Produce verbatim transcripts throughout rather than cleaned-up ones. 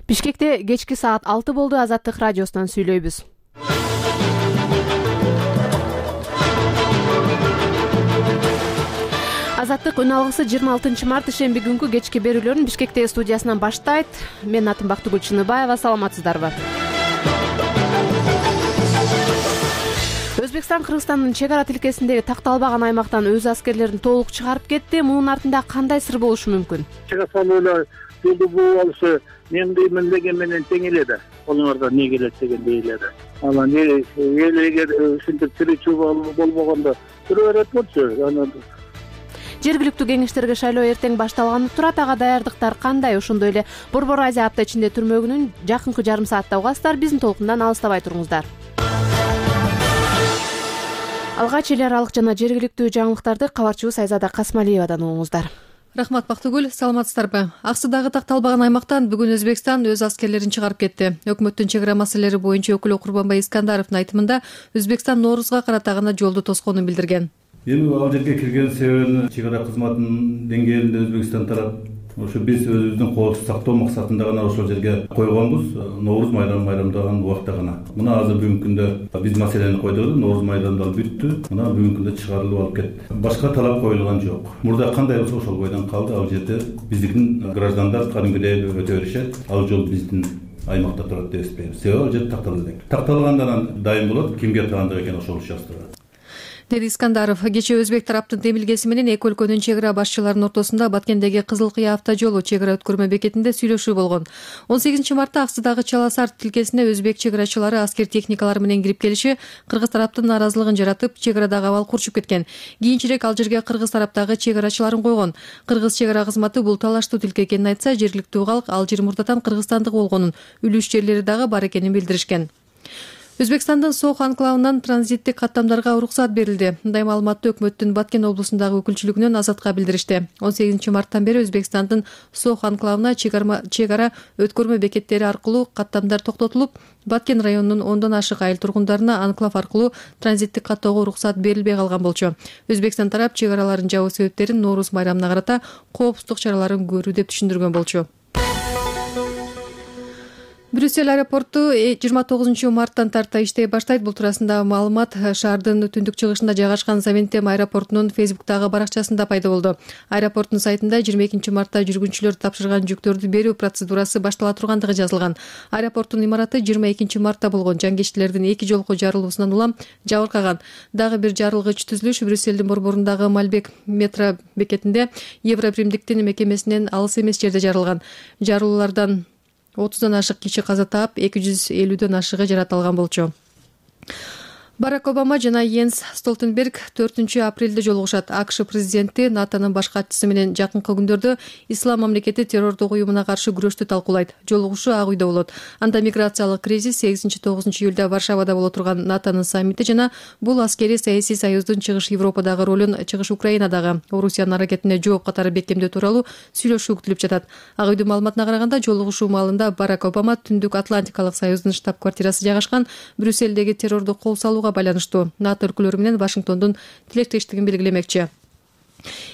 Бишкекте кечки саат алты болду. Азаттык радиосунан сүйлөйбүз. Азаттык үн алгысы жыйырма алтынчы март ишемби күнкү кечки берүүлөрүн Бишкектеги студиясынан баштайт. Менин атым Бактыгүл Чыныбаева. Саламатсыздарбы? Өзбекстан Кыргызстандын чек ара тилкесиндеги такталбаган аймактан өз аскерлерин толук чыгарып кетти. Мунун артында кандай сыр болушу мүмкүн? Чек ара жолду буу алышы мен деймин деген менен тең эле да. Оларда не келет дегендей эле да. Анан эл эгер ушинтип тиричүү болбогондо жүрө берет болчу. Анан жергиликтүү кеңештерге шайлоо эртең башталганы турат. Ага даярдыктар кандай? Ошондой эле Борбор Азия апта ичинде түрмө күнүн жакынкы жарым саатта угасыздар. Биздин толкундан алыстабай туруңуздар. Алгач эл аралык жана жергиликтүү жаңылыктарды кабарчыбыз Айзада Касмалиевадан угуңуздар. Рахмат, Бактыгүл. Саламатсыздарбы? Аксыдагы такталбаган аймактан бүгүн Өзбекстан өз аскерлерин чыгарып кетти. Өкмөттүн чек ара маселелери боюнча өкүлү Курбанбай Искандаровдун айтымында Өзбекстан Ноорузга карата гана жолду тосконун билдирген. Эми ал жерге кирген себебин чек ара кызматынын деңгээлинде Өзбекстан тарап ошо биз өзүбүздүн коопсуздук сактоо максатында гана ошол жерге койгонбуз. Нооруз майрамын майрамдаган убакта гана. Мына азыр бүгүнкү күндө биз маселени койдук. Нооруз майрамдары бүттү. Мына бүгүнкү күндө чыгарылып алып кетти. Башка талап коюлган жок. Мурда кандай болсо ошол бойдон калды. Ал жерде биздин граждандар кадимкидей өтө беришет. Ал жол биздин аймакта турат деп эсептейбиз. Себеби ал жер такталды. Такталгандан дайым болот. Кимге таандык экен ошол жаздырат. Деди Искандаров. Кечээ Өзбек тараптын демилгеси менен эки өлкөнүн чек ара башчыларынын ортосунда Баткендеги Кызыл Кыя автожолу чек ара өткөрмө бекетинде сүйлөшүү болгон. он сегизинчи мартта Аксыдагы Чаласар тилкесине өзбек чек арачылары аскер техникалары менен кирип келиши кыргыз тараптын нааразылыгын жаратып, чек арадагы абал курчуп кеткен. Кийинчерээк ал жерге кыргыз тараптагы чек арачыларын койгон. Кыргыз чек ара кызматы бул талаштуу тилке экенин айтса, жергиликтүү калк ал жер мурдатан Кыргызстандык болгонун, үлүш жерлери дагы бар экенин билдиришкен. Өзбекстандын Сох анклавынан транзиттик каттамдарга уруксат берилди. Мындай маалыматты өкмөттүн Баткен облусундагы өкүлчүлүгүнөн Азатка билдиришти. он сегизинчи марттан бери Өзбекстандын Сох анклавына чек ара өткөрмө бекеттери аркылуу каттамдар токтотулуп, Баткен районунун ондон ашык айыл тургундарына анклав аркылуу транзиттик каттоого уруксат берилбей калган болчу. Өзбекстан тарап чек араларын жабуу себептерин Нооруз майрамына карата коопсуздук чараларын көрүү деп түшүндүргөн болчу. Брюссель аэропорту жыйырма тогузунчу марттан тарта иштей баштайт. Бул туурасында маалымат шаардын түндүк чыгышында жайгашкан Завентем аэропортунун Фейсбуктагы баракчасында пайда болду. Аэропорттун сайтында жыйырма экинчи мартта жүргүнчүлөр тапшырган жүктөрдү берүү процедурасы баштала тургандыгы жазылган. Аэропорттун имараты жыйырма экинчи мартта болгон жангечтилердин эки жолку жарылуусунан улам жабыркаган. Дагы бир жарылгыч түзүлүш Брюссельдин борборундагы Мальбек метро бекетинде Евробиримдиктин мекемесинен алыс эмес жерде жарылган. Жарылуулардан отуздан ашык киши каза таап, эки жүз элүүдөн ашыгы жаракат алган болчу. Барак Обама жана Йенс Столтенберг төртүнчү апрелде жолугушат. АКШ президенти НАТОнун баш катчысы менен жакынкы күндөрдө Ислам мамлекети террордук уюмуна каршы күрөштү талкуулайт. Жолугушуу Ак үйдө болот. Анда миграциялык кризис, сегизинчи тогузунчу июлда Варшавада боло турган НАТОнун саммити жана бул аскерий саясий союздун чыгыш Европадагы ролун, чыгыш Украинадагы Орусиянын аракетине жооп катары бекемдөө тууралуу сүйлөшүү күтүлүп жатат. Ак үйдүн маалыматына караганда, жолугушуу маалында Барак Обама Түндүк Атлантикалык союздун штаб-квартирасы жайгашкан Брюссельдеги террордук кол салууга байланыштуу НАТО өлкөлөрү менен Вашингтондун тилектештигин белгилемекчи.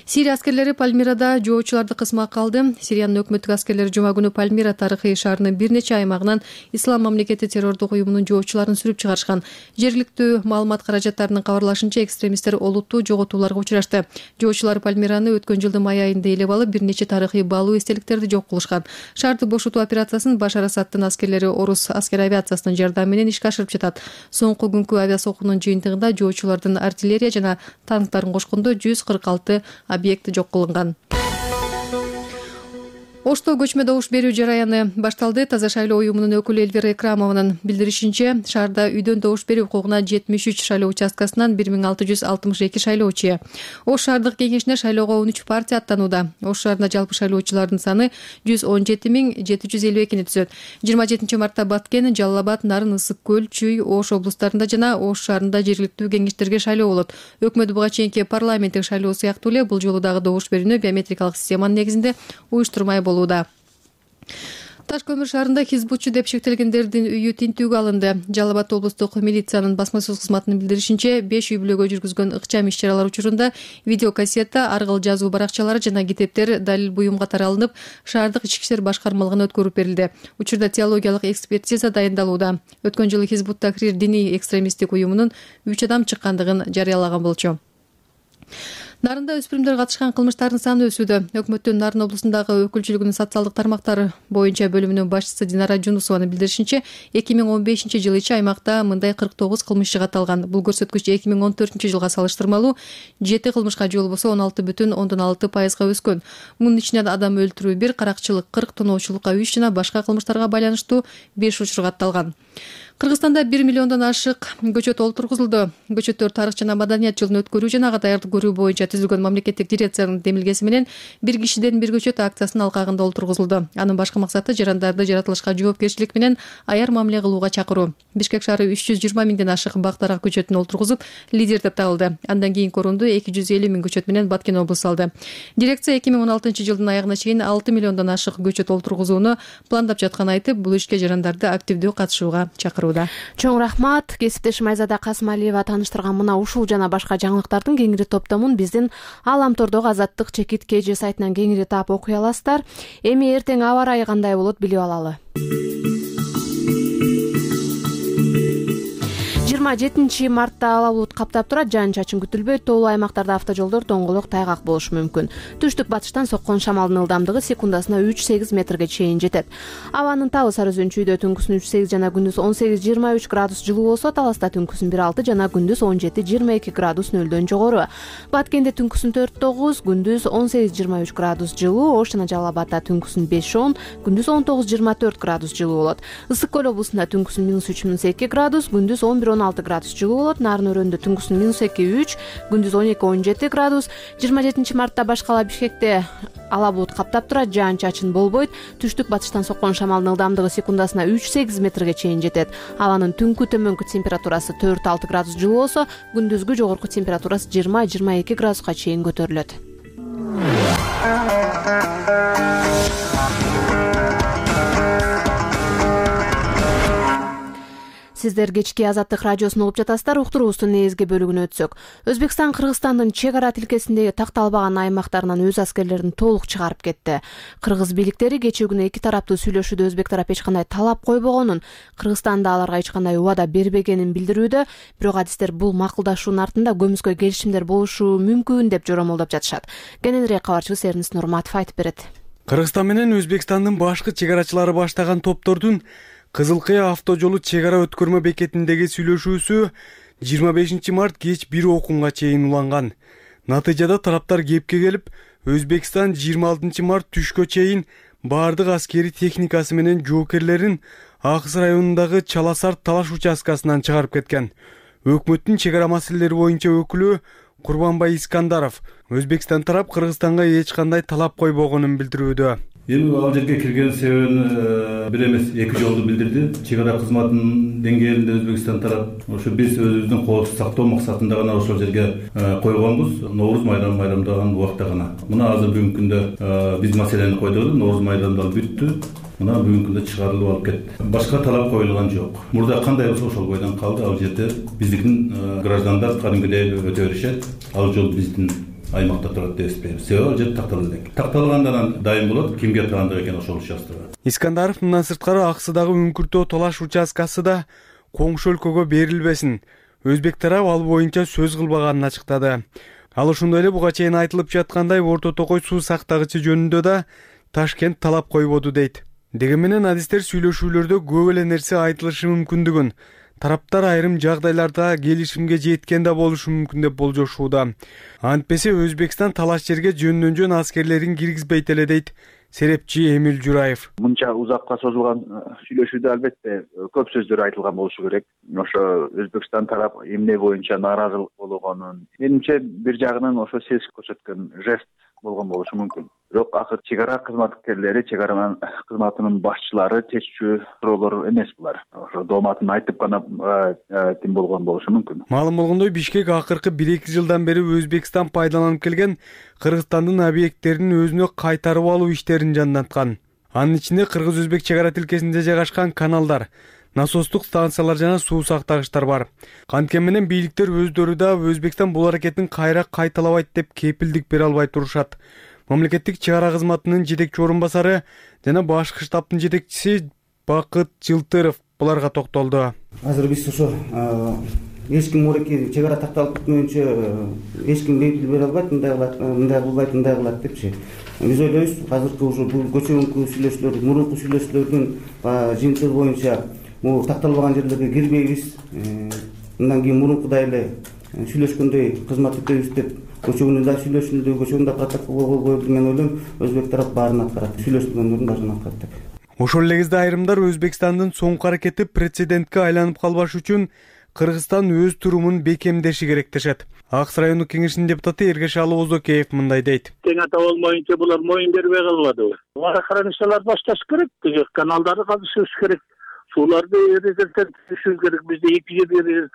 Сирия аскерлери Пальмирада жоочуларды кысмакка алды. Сириянын өкмөттүк аскерлери жума күнү Пальмира тарыхый шаарынын бир нече аймагынан Ислам мамлекети террордук уюмунун жоочуларын сүрүп чыгарышкан. Жергиликтүү маалымат каражаттарынын кабарлашынча, экстремисттер олуттуу жоготууларга учурашты. Жоочулар Пальмираны өткөн жылдын май айында ээлеп алып, бир нече тарыхый баалуу эстеликтерди жок кылышкан. Шаарды бошотуу операциясын Башар Асадтын аскерлери орус аскер авиациясынын жардамы менен ишке ашырып жатат. Соңку күнкү авиасокунун жыйынтыгында жоочулардын артиллерия жана танктарын кошкондо жүз кырк алты объекти жок кылынган. Ошто көчмө добуш берүү жараяны башталды. Таза шайлоо уюмунун өкүлү Эльвира Экрамованын билдиришинче, шаарда үйдөн добуш берүү укугуна жетимиш үч шайлоо участкасынан бир миң алты жүз алтымыш эки шайлоочу. Ош шаардык кеңешине шайлоого он үч партия аттанууда. Ош шаарында жалпы шайлоочулардын саны жүз он жети миң жети жүз элүү экини түзөт. жыйырма жетинчи мартта Баткен, Жалал Абад, Нарын, Ысык көл, Чүй, Ош облустарында жана Ош шаарында жергиликтүү кеңештерге шайлоо болот. Өкмөт буга чейинки парламенттик шайлоо сыяктуу эле бул жолу дагы добуш берүүнү биометрикалык системанын негизинде уюштурмай болууда. Таш көмүр шаарында хизбутчу деп шектелгендердин үйү тинтүүгө алынды. Жалал Абад облустук милициянын басма сөз кызматынын билдиришинче, беш үй бүлөгө жүргүзгөн ыкчам иш-чаралар учурунда видеокассета, аргыл жазуу баракчалары жана китептер далил буюм катары алынып, шаардык ички иштер башкармалыгына өткөрүп берилди. Учурда теологиялык экспертиза дайындалууда. Өткөн жылы Хизбут Тахрир диний экстремисттик уюмунун үч адам чыккандыгын жарыялаган болчу. Нарында өспүрүмдөр катышкан кылмыштардын саны өсүүдө. Өкмөттүн Нарын облусундагы өкүлчүлүгүнүн социалдык тармактар боюнча бөлүмүнүн башчысы Динара Жунусованын билдиришинче, эки миң он бешинчи жылы ичи аймакта мындай кырк тогуз кылмышчы катталган. Бул көрсөткүч эки миң он төртүнчү жылга салыштырмалуу жети кылмышка же болбосо он алты бүтүн ондон алты пайызга өскөн. Мунун ичинен адам өлтүрүү бир, каракчылык кырк, тоноочулукка үч жана башка кылмыштарга байланыштуу беш учур катталган. Кыргызстанда бир миллиондон ашык көчөт олтургузулду. Көчөттөр тарых жана маданият жылын өткөрүү жана ага даярдык көрүү боюнча түзүлгөн мамлекеттик дирекциянын демилгеси менен бир кишиден бир көчөт акциясынын алкагында олтургузулду. Анын башкы максаты жарандарды жаратылышка жоопкерчилик менен аяр мамиле кылууга чакыруу. Бишкек шаары үч жүз жыйырма миңден ашык бактарак көчөтүн олтургузуп, лидер деп табылды. Андан кийинки орунду эки жүз элүү миң көчөт менен Баткен облусу алды. Дирекция эки миң он алтынчы жылдын аягына чейин алты миллиондон ашык көчөт олтургузууну пландап жатканын айтып, бул ишке жарандарды активдүү катышууга чакыруу. Чоң рахмат. Кесиптешим Айзада Касымалиева тааныштырган мына ушул жана башка жаңылыктардын кеңири топтомун биздин Аламтордогу Азаттык чекит кж сайтынан кеңири таап окуй аласыздар. Эми эртең аба ырайы кандай болот билип алалы. жыйырма жетинчи мартта ала булут каптап турат, жаан-чачын күтүлбөйт. Тоолуу аймактарда автожолдор доңголок, тайгак болушу мүмкүн. Түштүк батыштан соккон шамалдын ылдамдыгы секундасына үч сегиз метрге чейин жетет. Абанын табы сары өзөнчүйдө түнкүсүн үч сегиз жана күндүз он сегиз жыйырма үч градус жылуу болсо, Таласта түнкүсүн бир алты жана күндүз он жети жыйырма эки градус нөлдөн жогору. Баткенде түнкүсүн төрт тогуз, күндүз он сегиз жыйырма үч градус жылуу. Ош жана Жалал Абадда түнкүсүн беш он, күндүз он тогуз жыйырма төрт градус жылуу болот. Ысык көл облусунда түнкүсүн минус үч минус эки градус, күндүз он бир он алты градус жылуу болот. Нарын өрөөндө түнкүсүн минус эки үч, күндүз он эки он жети градус. жыйырма жетинчи мартта башкала Бишкекте ала булут каптап турат, жаан-чачын болбойт. Түштүк батыштан соккон шамалдын ылдамдыгы секундасына үч сегиз метрге чейин жетет. Абанын түнкү төмөнкү температурасы төрт алты градус жылуу болсо, күндүзгү жогорку температурасы жыйырма жыйырма эки градуска чейин көтөрүлөт. Сиздер кечки Азаттык радиосун угуп жатасыздар. Уктуруубуздун негизги бөлүгүнө өтсөк. Өзбекстан Кыргызстандын чек ара тилкесиндеги такталбаган аймактарынан өз аскерлерин толук чыгарып кетти. Кыргыз бийликтери кечээ күнү эки тараптуу сүйлөшүүдө өзбек тарап эч кандай талап койбогонун, Кыргызстан да аларга эч кандай убада бербегенин билдирүүдө, бирок адистер бул макулдашуунун артында көмүскө келишимдер болушу мүмкүн деп жоромолдоп жатышат. Кененирээк кабарчыбыз Эрнис Нурматов айтып берет. Кыргызстан менен Өзбекстандын башкы чек арачылары баштаган топтордун Кызыл Кыя автожолу чек ара өткөрмө бекетиндеги сүйлөшүүсү жыйырма бешинчи март кеч бир окунга чейин уланган. Натыйжада тараптар кепке келип, Өзбекстан жыйырма алтынчы март түшкө чейин баардык аскери техникасы менен жоокерлерин Акыс районундагы Чаласарт талаш участкасынан чыгарып кеткен. Өкмөттүн чек ара маселелери боюнча өкүлү Курбанбай Искандаров Өзбекстан тарап Кыргызстанга эч кандай талап койбогонун билдирүүдө. Эми ал жерге кирген себебин бир эмес эки жолду билдирди. Чек ара кызматынын деңгээлинде Өзбекстан тарап ошо биз өзүбүздүн коопсуздук сактоо максатында гана ошол жерге койгонбуз. Ноорuz майрамы майрамдаган убакта гана. Мына азыр бүгүнкү күндө биз маселени койдук. Ноорuz майрамы да бүттү. Мына бүгүнкү күндө чыгарылып алып кетти. Башка талап коюлган жок. Мурда кандай болсо ошол бойдон калды. Ал жерде биздин граждандар кадимкидей өтө беришет. Ал жол биздин аймакта турат деп эсептейбиз. Себеби ал жер такталды элек. Такталгандан дайым болот, кимге таандык экен ошол участкага. Искандаров мындан сырткары Аксыдагы Үңкүртөө талаш участкасы да коңшу өлкөгө берилбесин. Өзбек тарап ал боюнча сөз кылбаганын ачыктады. Ал ошондой эле буга чейин айтылып жаткандай Орто Токой суу сактагычы жөнүндө да Ташкент талап койбоду дейт. Деген менен адистер сүйлөшүүлөрдө көп эле нерсе айтылышы мүмкүндүгүн, тараптар айрым жагдайларда келишимге жеткен да болушу мүмкүн деп болжошууда. Антпесе Өзбекстан талаш жерге жөндөн жөн аскерлерин киргизбейт эле дейт серепчи Эмил Жураев. Мынча узакка созулган сүйлөшүүдө албетте көп сөздөр айтылган болушу керек. Ошо Өзбекстан тарап эмне боюнча нааразылык болгонун, менимче бир жагынан ошо сезик көрсөткөн жест болгон болушу мүмкүн. Бирок акыр чек ара кызматкерлери, чек ара кызматынын башчылары чечүү суроолор эмес булар. Ошо дооматын айтып гана тим болгон болушу мүмкүн. Маалым болгондой, Бишкек акыркы бир эки жылдан бери Өзбекстан пайдаланып келген Кыргызстандын объекттерин өзүнө кайтарып алуу иштерин жандаткан. Анын ичинде кыргыз-өзбек чек ара тилкесинде жайгашкан каналдар, насостук станциялар жана суу сактагычтар бар. Канткен менен бийликтер өздөрү да Өзбекстан бул аракетин кайра кайталабайт деп кепилдик бере албай турушат. Мамлекеттик чек ара кызматынын жетекчи орун басары жана башкы штабтын жетекчиси Бакыт Жылтыров буларга токтолду. Азыр биз ошо эч ким мурекке чек ара такталып бүткөнчө эч ким бейпил бере албайт, мындай кылат, мындай кылбайт, мындай кылат депчи. Биз ойлойбуз, азыркы ошо бул көчөгүнкү сүйлөшүүлөр, мурунку сүйлөшүүлөрдүн жыйынтыгы боюнча бул такталбаган жерлерге кирбейбиз. Мындан кийин мурункудай эле сүйлөшкөндөй кызмат өтөбүз деп көчөгүндө да сүйлөшүлдү, көчөгүндө протокол коюлду. Мен ойлойм, өзбек тарап баарын аткарат, сүйлөшүлгөндөрдүн баарын аткарат деп. Ошол эле кезде айрымдар Өзбекстандын соңку аракети прецедентке айланып калбаш үчүн Кыргызстан өз турумун бекемдеши керек дешет. Акс райондук кеңешинин депутаты Эргешалы Озокеев мындай дейт. Тең ата болмоюнча булар моюн бербей калбадыбы. Охраничилар башташ керек, каналдарды казышыбыз керек, сууларды резервдешибиз керек. Бизде эки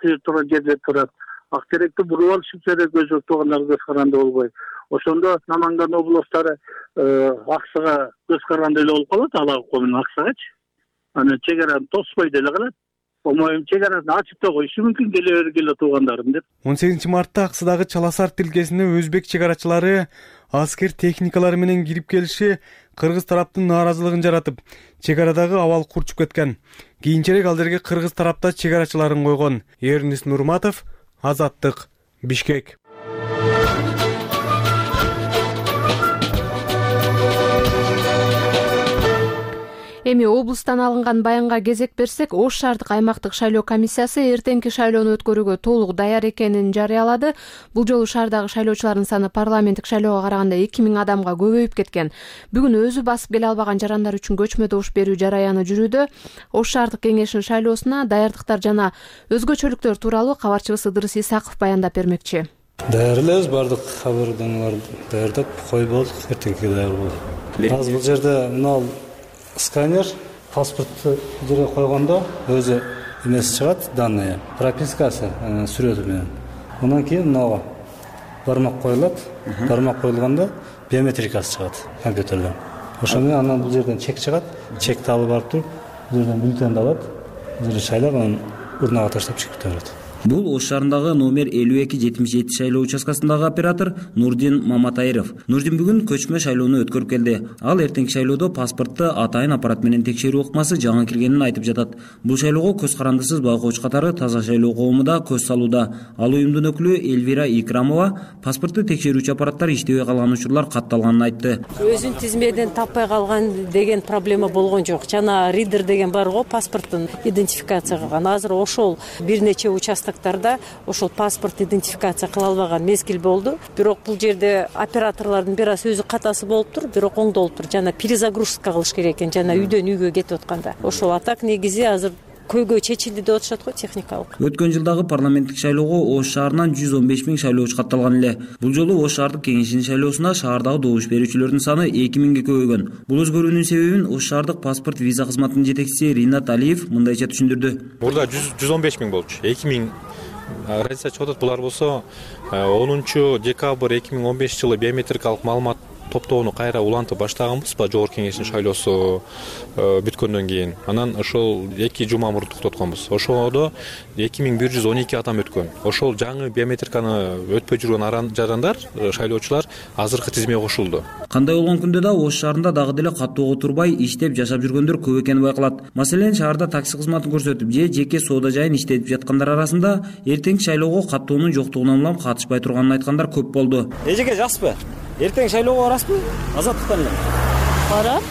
жер турган жерде турат. Актеректи буруп алышып керек, өзбек туугандар көз каранды болбой. Ошондо Наманган облустары Аксага көз каранды эле болуп калат, Алакы менен Аксагачы. Аны чек араны тоспой деле калат. Омоюн чек арасын ачып да коюшу мүмкүн, келе бергиле туугандарым деп. он сегизинчи мартта Аксыдагы Чаласар тилкесине өзбек чек арачылары аскер техникалары менен кирип келиши кыргыз тараптын нааразылыгын жаратып, чек арадагы абал курчуп кеткен. Кийинчерээк ал жерге кыргыз тарапта чек арачыларын койгон. Эрнис Нурматов, Азаттык, Бишкек. Эми облустан алынган баянга кезек берсек, Ош шаардык аймактык шайлоо комиссиясы эртеңки шайлоону өткөрүүгө толук даяр экенин жарыялады. Бул жолу шаардагы шайлоочулардын саны парламенттик шайлоого караганда эки миң адамга көбөйүп кеткен. Бүгүн өзү басып келе албаган жарандар үчүн көчмө добуш берүү жараяны жүрүүдө. Ош шаардык кеңешинин шайлоосуна даярдыктар жана өзгөчөлүктөр тууралуу кабарчыбыз Ыдырыс Исаков баяндап бермекчи. Даярбыз, бардык кабарданууларды даярдап койболдук, эртеңкиге даяр болду. Азыр бул жерде мына сканер, паспортты жерге койгондо өзү эмеси чыгат, данные, пропискасы, сүрөтү менен. Андан кийин мынага бармак коюлат, бармак коюлганда биометрикасы чыгат компьютерден. Ошо менен анан бул жерден чек чыгат, чекти алып барып туруп, бул жерден бюллетенди алат, бул жерде шайлап, анан урнага таштап чыгып кетет. Бул Ош шаарындагы номер элүү эки жетимиш жети шайлоо участкасындагы оператор Нурдин Маматайров. Нурдин бүгүн көчмө шайлоону өткөрүп келди. Ал эртеңки шайлоодо паспортты атайын аппарат менен текшерүү ыкмасы жаңы киргенин айтып жатат. Бул шайлоого көз карандысыз байкоочу катары Таза шайлоо коому да көз салууда. Ал уюмдун өкүлү Эльвира Икрамова паспортты текшерүүчү аппараттар иштебей калган учурлар катталганын айтты. Өзүн тизмеден таппай калган деген проблема болгон жок. Жана ридер деген бар го, паспорттун идентификация кылган. Азыр ошол бир нече участок ошол паспорт идентификация кыла албаган мезгил болду. Бирок бул жерде операторлордун бир аз өзү катасы болуптур, бирок оңдолуптур. Жана перезагрузка кылыш керек экен, жана үйдөн үйгө кетип атканда. Ошол атак негизи азыр көйгөй чечилди деп атышат го техникалык. Өткөн жылдагы парламенттик шайлоого Ош шаарынан жүз он беш миң шайлоочу катталган эле. Бул жолу Ош шаардык кеңешинин шайлоосуна шаардагы добуш берүүчүлөрдүн саны эки миңге көбөйгөн. Бул өзгөрүүнүн себебин Ош шаардык паспорт виза кызматынын жетекчиси Ринат Алиев мындайча түшүндүрдү. Мурда жүз он беш миң болчу, эки миң разница чыгып атат. Булар болсо онунчу декабрь эки миң он бешинчи жылы биометрикалык маалымат топтоону кайра улантып баштаганбыз, жогорку кеңештин шайлоосу бүткөндөн кийин. Анан ошол эки жума мурун токтотконбуз. Ошодо эки миң бир жүз он эки адам өткөн. Ошол жаңы биометриканы өтпөй жүргөн жарандар, шайлоочулар азыркы тизмеге кошулду. Кандай болгон күндө да Ош шаарында дагы деле каттоого турбай иштеп жашап жүргөндөр көп экени байкалат. Маселен, шаарда такси кызматын көрсөтүп же жеке соода жайын иштетип жаткандар арасында эртеңки шайлоого каттоонун жоктугунан улам катышпай турганын айткандар көп болду. Эжеке жаспы? Эртең шайлоого барасызбы? Азаттыктан эле. Барам.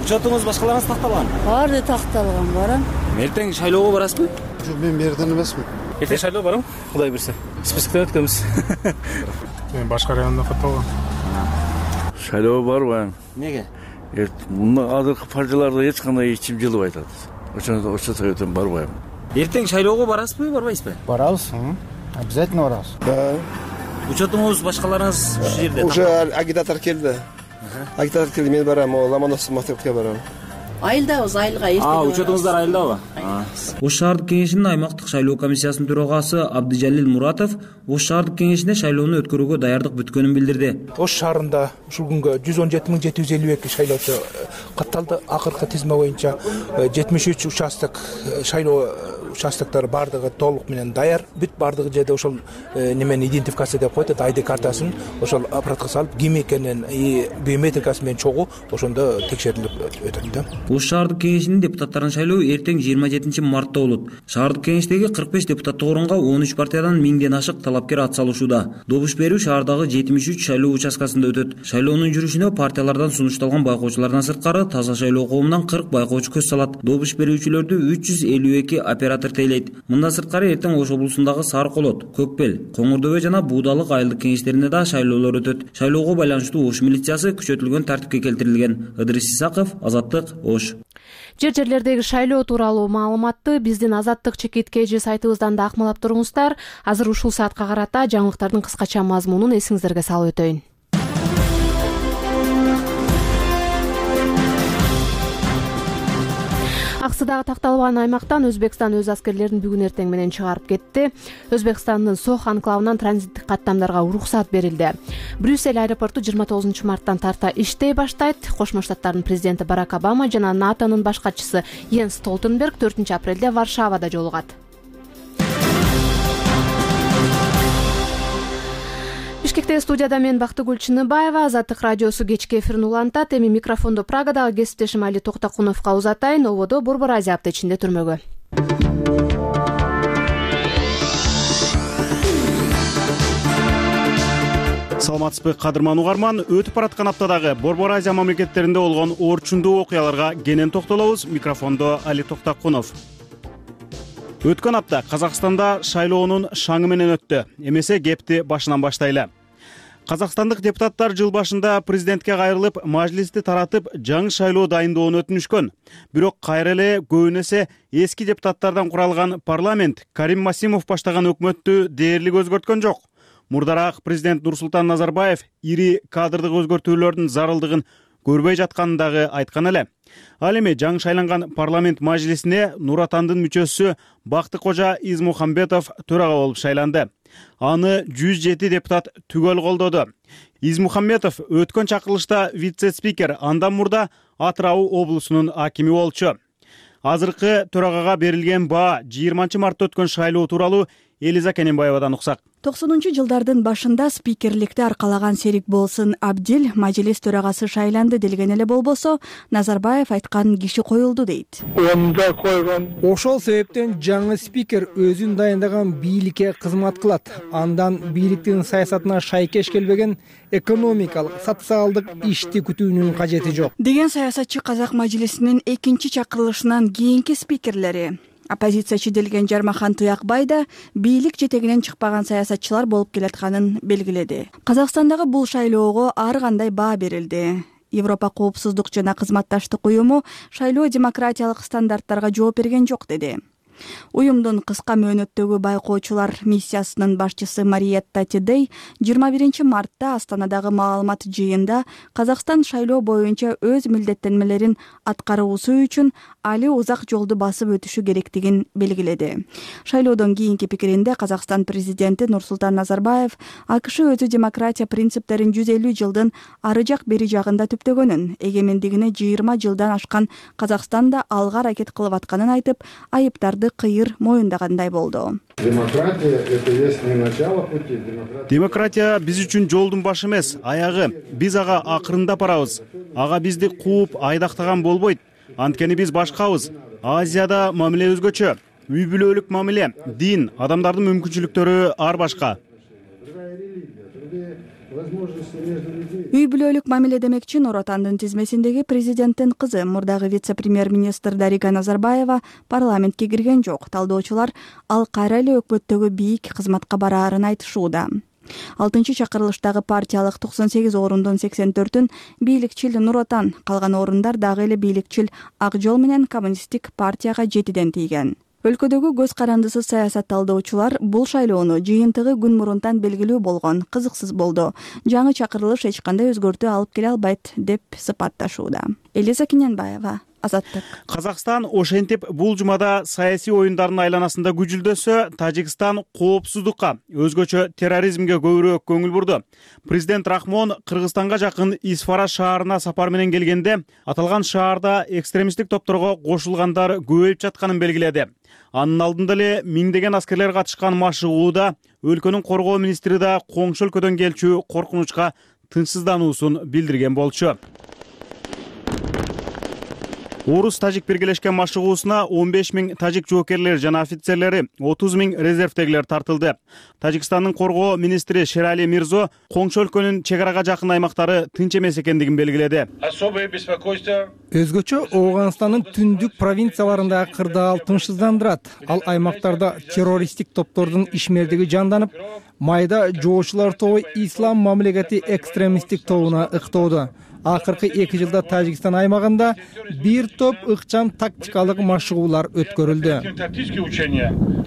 Учетуңуз башкаларыңыз такталган? Баары такталган, барам. Эртең шайлоого барасызбы? Жок, мен берден эмесмин. Эртең шайлоого барам, Кудай берсе. Списоктон өткөнбүз. Мен башка районда катталгам. Шайлоого барбайм. Неге? Мына азыркы партияларда эч кандай ичим жылып айтат. Ошондо ошо себептен барбайм. Эртең шайлоого барасызбы, барбайсызбы? Барабыз. Обязательно барабыз. Да. Учетуңуз башкаларыңыз ушул жерде. Уже агитатор келди. Агитатор келди, мен барам, Ломоносов мектепке барам. айылдабыз, айылга эртең. Учетуңуздар айылдабы? Ош шаардык кеңешинин аймактык шайлоо комиссиясынын төрагасы Абдыжалил Муратов Ош шаардык кеңешине шайлоону өткөрүүгө даярдык бүткөнүн билдирди. Ош шаарында ушул күнгө жүз он жети миң жети жүз элүү эки шайлоочу катталды. Акыркы тизме боюнча жетимиш үч участок шайлоо участоктор бардыгы толук менен даяр. Бүт бардыгы жерде ошол немени идентификация деп коет, ай ди картасын ошол аппаратка салып, ким экенин биометрикасы менен чогуу ошондо текшерилип өтөт да. Ош шаардык кеңешинин депутаттарын шайлоо эртең жыйырма жетинчи мартта болот. Шаардык кеңештеги кырк беш депутаттык орунга он үч партиядан миңден ашык талапкер ат салышууда. Добуш берүү шаардагы жетимиш үч шайлоо участкасында өтөт. Шайлоонун жүрүшүнө партиялардан сунушталган байкоочулардан сырткары таза шайлоо коомунан кырк байкоочу көз салат. Добуш берүүчүлөрдү үч жүз элүү эки оператор тейлейт. Мындан сырткары эртең Ош облусундагы Сары Колот, Көкбел, Коңурдөбө жана Буудалык айылдык кеңештерине да шайлоолор өтөт. Шайлоого байланыштуу Ош милициясы күчөтүлгөн тартипке келтирилген. Ыдырыс Исаков, Азаттык, Ош. Жер жерлердеги шайлоо тууралуу маалыматты биздин Азаттык чекит кж сайтыбыздан да акмалап туруңуздар. Азыр ушул саатка карата жаңылыктардын кыскача мазмунун эсиңиздерге салып өтөйүн. Аксыдагы такталбаган аймактан Өзбекстан өз аскерлерин бүгүн эртең менен чыгарып кетти. Өзбекстандын Сох анклавынан транзиттик каттамдарга уруксат берилди. Брюссель аэропорту жыйырма тогузунчу марттан тарта иштей баштайт. Кошмо Штаттардын президенти Барак Обама жана НАТОнун баш катчысы Йенс Столтенберг төртүнчү апрелде Варшавада жолугат. Бишкекте студияда мен Бактыгүл Чыныбаева. Азаттык радиосу кечки эфирин улантат. Эми микрофондо Прагадагы кесиптешим Али Токтакуновго узатайын. Ободо Борбор Азия апта ичинде түрмөгө. Саламатсызбы кадырман угарман, өтүп бараткан аптадагы Борбор Азия мамлекеттеринде болгон орчундуу окуяларга кенен токтолобуз. Микрофондо Али Токтакунов. Өткөн апта Казакстанда шайлоонун шаңы менен өттү. Эмесе кепти башынан баштайлы. Казакстандык депутаттар жыл башында президентке кайрылып, мажлисти таратып, жаңы шайлоо дайындоону өтүнүшкөн. Бирок кайра эле көбүнесе эски депутаттардан куралган парламент Карим Масимов баштаган өкмөттү дээрлик өзгөрткөн жок. Мурдараак президент Нурсултан Назарбаев ири кадрдык өзгөртүүлөрдүн зарылдыгын көрбөй жатканын дагы айткан эле. Ал эми жаңы шайланган парламент мажлисине Нур Атандын мүчөсү Бактыкожа Измухамбетов төрага болуп шайланды. Аны жүз жети депутат түгөл колдоду. Измухамбетов өткөн чакырылышта вице-спикер, андан мурда Атырау облусунун акими болчу. Азыркы төрагага берилген баа жыйырманчы мартта өткөн шайлоо тууралуу Элиза Кененбаевадан уксак. токсонунчу жылдардын башында спикерликти аркалаган Серик Болсын Абдил мажлис төрагасы шайланды делген эле болбосо, Назарбаев айткан киши коюлду дейт. Ошол себептен жаңы спикер өзүн дайындаган бийликке кызмат кылат. Андан бийликтин саясатына шайкеш келбеген экономикалык, социалдык ишти күтүүнүн кажети жок деген саясатчы казак мажлисинин экинчи чакырылышынан кийинки спикерлери. Оппозициячы делген Жармахан Туякбай да бийлик жетегинен чыкпаган саясатчылар болуп келатканын белгиледи. Казакстандагы бул шайлоого ар кандай баа берилди. Европа коопсуздук жана кызматташтык уюму шайлоо демократиялык стандарттарга жооп берген жок деди. Уюмдун кыска мөөнөттөгү байкоочулар миссиясынын башчысы Мариетта Тедей жыйырма биринчи мартта Астанадагы маалымат жыйында Казакстан шайлоо боюнча өз милдеттенмелерин аткаруусу үчүн али узак жолду басып өтүшү керектигин белгиледи. Шайлоодон кийинки пикиринде Казакстан президенти Нурсултан Назарбаев АКШ өзү демократия принциптерин жүз элүү жылдын ары жак бери жагында түптөгөнүн, эгемендигине жыйырма жылдан ашкан Казакстанда алга аракет кылып атканын айтып, айыптарды кыйыр моюндагандай болду. Демократия биз үчүн жолдун башы эмес, аягы. Биз ага акырында барабыз. Ага бизди кууп айдактаган болбойт. Анткени биз башкабыз. Азияда мамиле өзгөчө. Үй бүлөлүк мамиле, дин, адамдардын мүмкүнчүлүктөрү ар башка. Үй бүлөлүк мамиле демекчи Нур Отандын тизмесиндеги президенттин кызы, мурдагы вице-премьер-министр Дарига Назарбаева парламентке кирген жок. Талдоочулар ал кайра эле өкмөттөгү бийик кызматка бараарын айтышууда. алтынчы чакырылыштагы партиялык токсон сегиз орундун сексен төртүн бийликчил Нур Отан, калган орундар дагы эле бийликчил Ак Жол менен Коммунисттик партияга жетиден тийген. Өлкөдөгү көз карандысыз саясат талдоочулар бул шайлоону жыйынтыгы күн мурунтан белгилүү болгон, кызыксыз болду. Жаңы чакырылыш эч кандай өзгөртүү алып келе албайт деп сыпатташууда. Элиза Кененбаева, Азаттык. Казакстан ошентип бул жумада саясий оюндардын айланасында күжүлдөсө, Тажикстан коопсуздукка, өзгөчө терроризмге көбүрөөк көңүл бурду. Президент Рахмон Кыргызстанга жакын Исфара шаарына сапар менен келгенде, аталган шаарда экстремисттик топторго кошулгандар көбөйүп жатканын белгиледи. Анын алдында эле миңдеген аскерлер катышкан машыгууда өлкөнүн коргоо министри да коңшу өлкөдөн келчү коркунучка тынчсыздануусун билдирген болчу. Орус-тажик биргелешкен машыгуусуна он беш миң тажик жоокерлери жана офицерлери, отуз миң резервдегилер тартылды. Тажикстандын коргоо министри Шерали Мирзо коңшу өлкөнүн чек арага жакын аймактары тынч эмес экендигин белгиледи. Өзгөчө Ооганстандын түндүк провинцияларындагы кырдаал тынчсыздандырат. Ал аймактарда террористтик топтордун ишмердиги жанданып, майда жоочулар тобу ислам мамлекети экстремисттик тобуна ыктоодо. Акыркы эки жылда Тажикстан аймагында бир топ ыкчам тактикалык машыгуулар өткөрүлдү.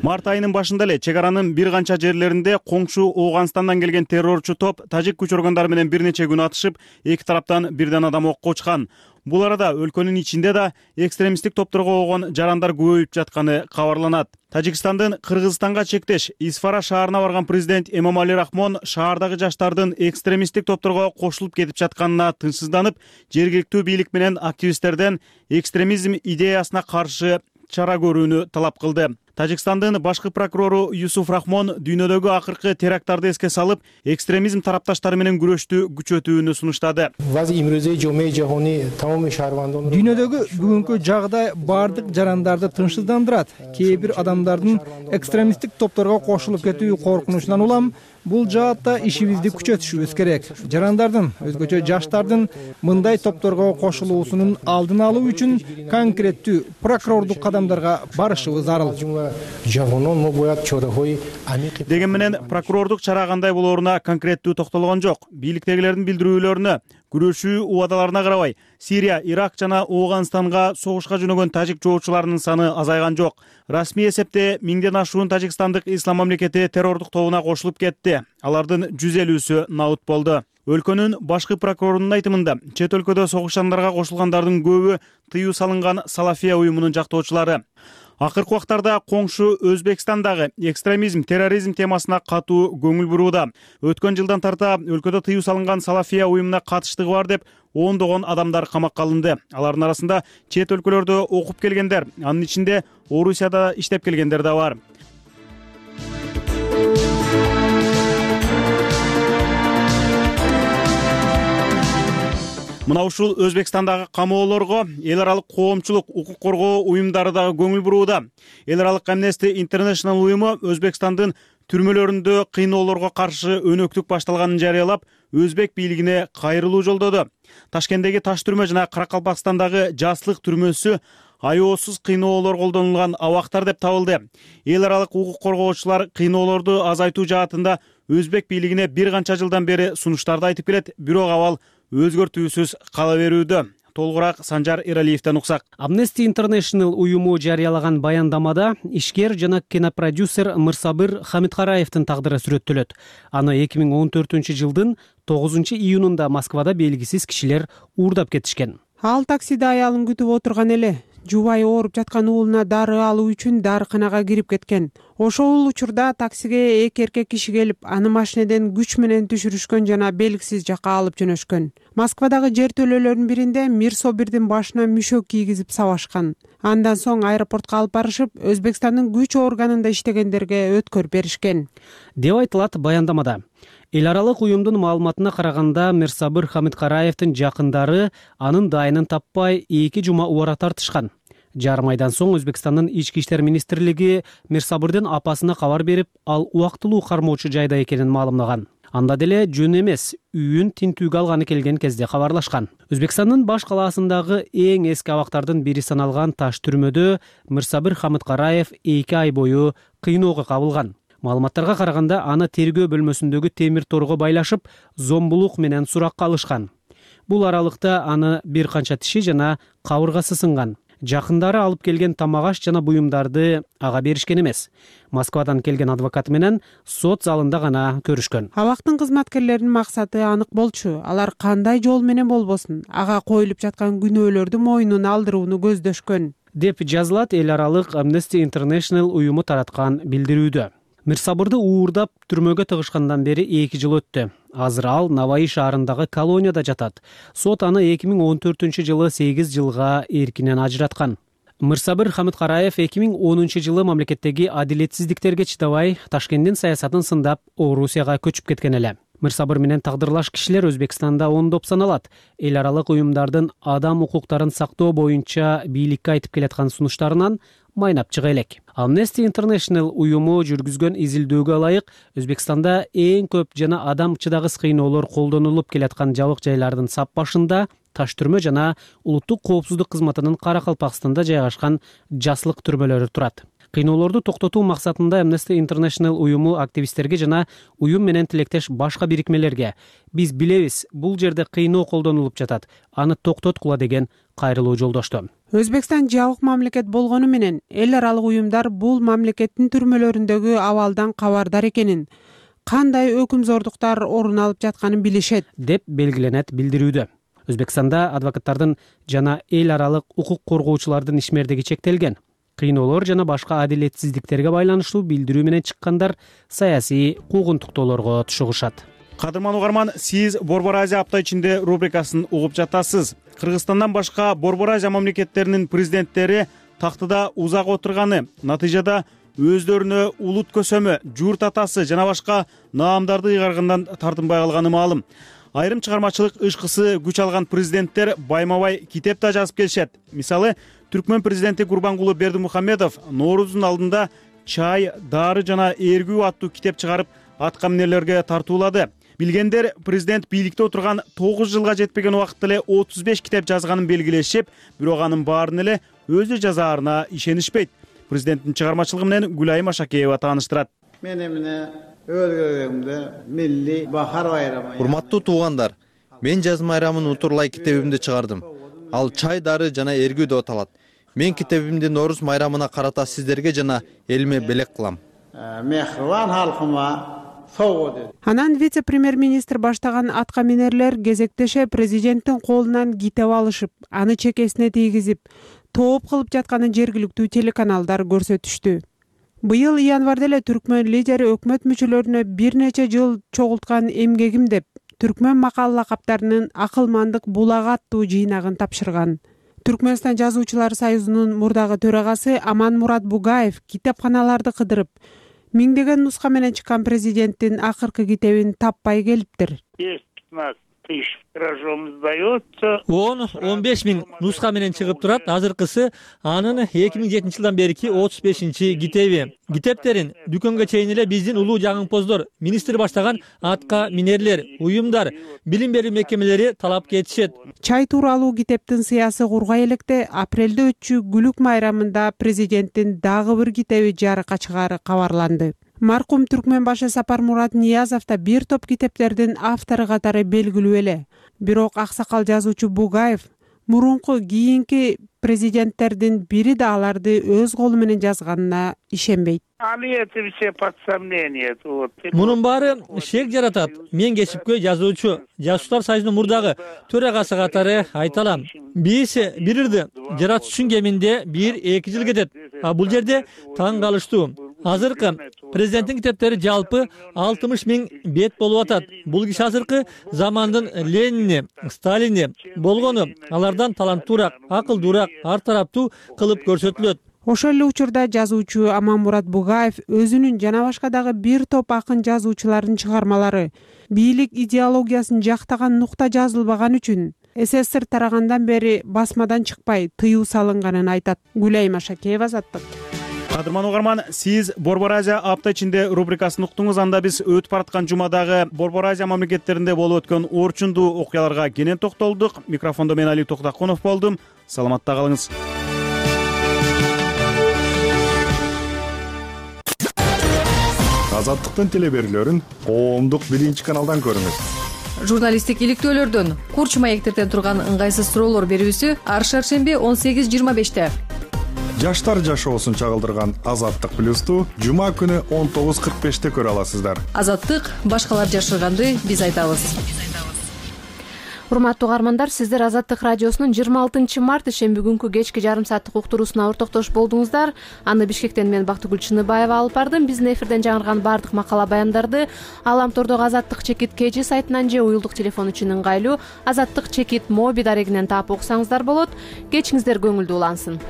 Март айынын башында эле чек аранын бир канча жерлеринде коңшу Ооганстандан келген террорчу топ тажик күч органдары менен бир нече күн атышып, эки тараптан бирден адам окко учкан. Бул арада өлкөнүн ичинде да экстремисттик топторго болгон жарандар көбөйүп жатканы кабарланат. Тажикстандын Кыргызстанга чектеш Исфара шаарына барган президент Эмомали Рахмон шаардагы жаштардын экстремисттик топторго кошулуп кетип жатканына тынчсызданып, жергиликтүү бийлик менен активисттерден экстремизм идеясына каршы чара көрүүнү талап кылды. Тажикстандын башкы прокурору Юсуф Рахмон дүйнөдөгү акыркы теракттарды эске салып, экстремизм тарапташтары менен күрөштү күчөтүүнү сунуштады. Дүйнөдөгү бүгүнкү жагдай бардык жарандарды тынчсыздандырат. Кээ бир адамдардын экстремисттик топторго кошулуп кетүү коркунучунан улам бул жаатта ишибизди күчөтүшүбүз керек. Жарандардын, өзгөчө жаштардын мындай топторго кошулуусунун алдын алуу үчүн конкреттүү прокурордук кадамдарга барышыбыз зарыл. Деген менен прокурордук чара кандай болооруна конкреттүү токтолгон жок. Бийликтегилердин билдирүүлөрүнө, күрөшүү убадаларына карабай, Сирия, Ирак жана Ооганстанга согушка жөнөгөн тажик жоочуларынын саны азайган жок. Расмий эсепте миңден ашуун тажикстандык ислам мамлекети террордук тобуна кошулуп кетти. Алардын жүз элүүсү наут болду. Өлкөнүн башкы прокурорунун айтымында, чет өлкөдө согушкандарга кошулгандардын көбү тыюу салынган Салафия уюмунун жактоочулары. Акыркы убактарда коңшу Өзбекстандагы экстремизм, терроризм темасына катуу көңүл бурууда. Өткөн жылдан тарта өлкөдө тыюу салынган Салафия уюмуна катыштыгы бар деп ондогон адамдар камакка алынды. Алардын арасында чет өлкөлөрдө окуп келгендер, анын ичинде Орусияда иштеп келгендер да бар. Мына ушул Өзбекстандагы камоолорго эл аралык коомчулук, укук коргоо уюмдары дагы көңүл бурууда. Эл аралык Amnesty International уюму Өзбекстандын түрмөлөрүндө кыйноолорго каршы өнөктүк башталганын жарыялап, өзбек бийлигине кайрылуу жолдоду. Ташкенттеги Таш түрмө жана Каракалпакстандагы Жаслык түрмөсү аеосуз кыйноолор колдонулган абактар деп табылды. Эл аралык укук коргоочулар кыйноолорду азайтуу жаатында өзбек бийлигине бир канча жылдан бери сунуштарды айтып келет, бирок абал өзгөртүүсүз кала берүүдө. Толугураак Санжар Эралиевден уксак. Amnesty International уюму жарыялаган баяндамада ишкер жана кинопродюсер Мырсабыр Хамидкараевдин тагдыры сүрөттөлөт. Аны эки миң он төртүнчү жылдын тогузунчу июнунда Москвада белгисиз кишилер уурдап кетишкен. Ал таксиде аялын күтүп отурган эле. Жубайы ооруп жаткан уулуна дары алуу үчүн дарыканага кирип кеткен. Ошол учурда таксиге эки эркек киши келип, аны машинеден күч менен түшүрүшкөн жана белгисиз жакка алып жөнөшкөн. Москвадагы жертөлөлөрдүн биринде Мирсобирдин башына мүшөк кийгизип сабашкан. Андан соң аэропортко алып барышып, Өзбекстандын күч органында иштегендерге өткөрүп беришкен, деп айтылат баяндамада. Эл аралык уюмдун маалыматына караганда, Мирсабыр Хамидкараевдин жакындары анын дайынын таппай эки жума убара тартышкан. Жарым айдан соң Өзбекстандын ички иштер министрлиги Мирсабырдын апасына кабар берип, ал убактылуу кармоочу жайда экенин маалымдаган. Анда деле жөн эмес, үйүн тинтүүгө алганы келген кезде кабарлашкан. Өзбекстандын баш калаасындагы эң эски абактардын бири саналган Таш түрмөдө Мирсабыр Хамидкараев эки ай бою кыйноого кабылган. Маалыматтарга караганда, аны тергөө бөлмөсүндөгү темир торго байлашып, зомбулук менен суракка алышкан. Бул аралыкта аны бир канча тиши жана кабыргасы сынган. жакындары алып келген тамак аш жана буюмдарды ага беришкен эмес. Москвадан келген адвокаты менен сот залында гана көрүшкөн. Абактын кызматкерлеринин максаты анык болчу. Алар кандай жол менен болбосун ага коюлуп жаткан күнөөлөрдү мойнуна алдырууну көздөшкөн деп жазылат эл аралык Amnesty International уюму тараткан билдирүүдө. Мирсабырды уурдап түрмөгө тыгышкандан бери эки жыл өттү. Азыр ал Наваи шаарындагы колонияда жатат. Сот аны эки миң он төртүнчү жылы сегиз жылга эркинен ажыраткан. Мирсабыр Хамидкараев эки миң онунчу жылы мамлекеттеги адилетсиздиктерге чыдабай Ташкенттин саясатын сындап Орусияга көчүп кеткен эле. Мирсабыр менен тагдырлаш кишилер Өзбекстанда ондоп саналат. Эл аралык уюмдардын адам укуктарын сактоо боюнча бийликке айтып келаткан сунуштарынан майнап чыга элек. Amnesty International уюму жүргүзгөн изилдөөгө ылайык Өзбекстанда эң көп жана адам чыдагыс кыйноолор колдонулуп келаткан жабык жайлардын сап башында Таш түрмө жана улуттук коопсуздук кызматынын Каракалпакстанда жайгашкан жаслык түрмөлөрү турат. Кыйноолорду токтотуу максатында Amnesty International уюму активисттерге жана уюм менен тилектеш башка бирикмелерге биз билебиз, бул жерде кыйноо колдонулуп жатат, аны токтоткула деген кайрылуу жолдошту. Өзбекстан жабык мамлекет болгону менен эл аралык уюмдар бул мамлекеттин түрмөлөрүндөгү абалдан кабардар экенин, кандай өкүмзордуктар орун алып жатканын билишет деп белгиленет билдирүүдө. Өзбекстанда адвокаттардын жана эл аралык укук коргоочулардын ишмердиги чектелген. Кыйноолор жана башка адилетсиздиктерге байланыштуу билдирүү менен чыккандар саясий куугунтуктоолорго түшүгүшат. Кадырман угарман, сиз Борбор Азия апта ичинде рубрикасын угуп жатасыз. Кыргызстандан башка Борбор Азия мамлекеттеринин президенттери тактыда узак отурганы, натыйжада өздөрүнө улут көсөмө, журт атасы жана башка наамдарды ыйгаргандан тартынбай калганы маалым. Айрым чыгармачылык ышкысы күч алган президенттер байма-бай китеп да жазып келишет. Мисалы, Түркмөн президенти Курбангулы Бердимухамедов Ноорузун алдында чай, дары жана эргүү аттуу китеп чыгарып, атка минерлерге тартуулады. Билгендер президент бийликте отурган тогуз жылга жетпеген убакытта эле отуз беш китеп жазганын белгилешип, бирок анын баарын эле өзү жазаарына ишенишпейт. Президенттин чыгармачылыгы менен Гүлайым Ашакеева тааныштырат. Мен эмне өлгөгөмдө милли бахар байрамы. Урматтуу туугандар, мен жаз майрамын утурлай китебимди чыгардым. Ал чай, дары жана эргүү деп аталат. Мен китебимди Норуз майрамына карата сиздерге жана элиме белек кылам. Мехрибан халкыма сого. Анан вице-премьер-министр баштаган атка минерлер кезектеше президенттин колунан китеп алышып, аны чекесине тийгизип, тооп кылып жатканын жергиликтүү телеканалдар көрсөтүштү. Быйыл январда эле түркмөн лидери өкмөт мүчөлөрүнө бир нече жыл чогулткан эмгегим деп түркмөн макал лакаптарынын акылмандык булагы аттуу жыйнагын тапшырган. Түркмөнстан жазуучулар союзунун мурдагы төрагасы Аманмурат Бугаев китепканаларды кыдырып, миңдеген нуска менен чыккан президенттин акыркы китебин таппай келиптир. он он беш миң нуска менен чыгып турат. Азыркысы анын эки миң жетинчи жылдан берки отуз бешинчи китеби. Китептерин дүкөнгө чейин эле биздин улуу жагымпоздор, министр баштаган атка минерлер, уюмдар, билим берүү мекемелери талап кетишет. Чай тууралуу китептин сыясы кургай электе апрелде өтчү Гүлүк майрамында президенттин дагы бир китеби жарыкка чыгаары кабарланды. Маркум түркмөн башы Сапармурат Ниязов да бир топ китептердин автору катары белгилүү эле. Бирок аксакал жазуучу Бугаев мурунку кийинки президенттердин бири да аларды өз колу менен жазганына ишенбейт. Мунун баары шек жаратат. Мен кесипкөй жазуучу, Жазуучулар союзунун мурдагы төрагасы катары айта алам. Биз бирирди жаратуучунун кеминде бир эки жыл кетет. А бул жерде таң калыштуу. Азыркы президенттин китептери жалпы алтымыш миң бет болуп атат. Бул киши азыркы замандын Ленини, Сталини болгону, алардан таланттуураак, акылдуураак, ар тараптуу кылып көрсөтүлөт. Ошол эле учурда жазуучу Аманмурат Бугаев өзүнүн жана башка дагы бир топ акын жазуучулардын чыгармалары бийлик идеологиясын жактаган нукта жазылбаган үчүн СССР тарагандан бери басмадан чыкпай тыюу салынганын айтат. Гүлайым Ашакеева, Азаттык. Кадырман угарман, сиз Борбор Азия апта ичинде рубрикасын уктуңуз. Анда биз өтүп бараткан жумадагы Борбор Азия мамлекеттеринде болуп өткөн орчундуу окуяларга кенен токтолдук. Микрофондо мен Али Токтакунов болдум. Саламатта калыңыз. Азаттыктын телеберүүлөрүн коомдук биринчи каналдан көрүңүз. журналисттик иликтөөлөрдөн, курч маектерден турган ыңгайсыз суроолор берүүсү ар шаршемби он сегиз жыйырма беште. Жаштар жашоосун чагылдырган Азаттык плюсту жума күнү он тогуз кырк беште көрө аласыздар. Азаттык башкалар жашырганды биз айтабыз. Урматтуу угармандар, сиздер Азаттык радиосунун жыйырма алтынчы март ишемби күнкү кечки жарым сааттык уктуруусуна ортоктош болдуңуздар. Аны Бишкектен мен Бактыгүл Чыныбаева алып бардым. Биздин эфирден жаңырган баардык макала баяндарды Аламтордогу Азаттык чекит кж сайтынан же уюлдук телефон үчүн ыңгайлуу Азаттык чекит моби дарегинен таап окусаңыздар болот. Кечиңиздер көңүлдүү улансын.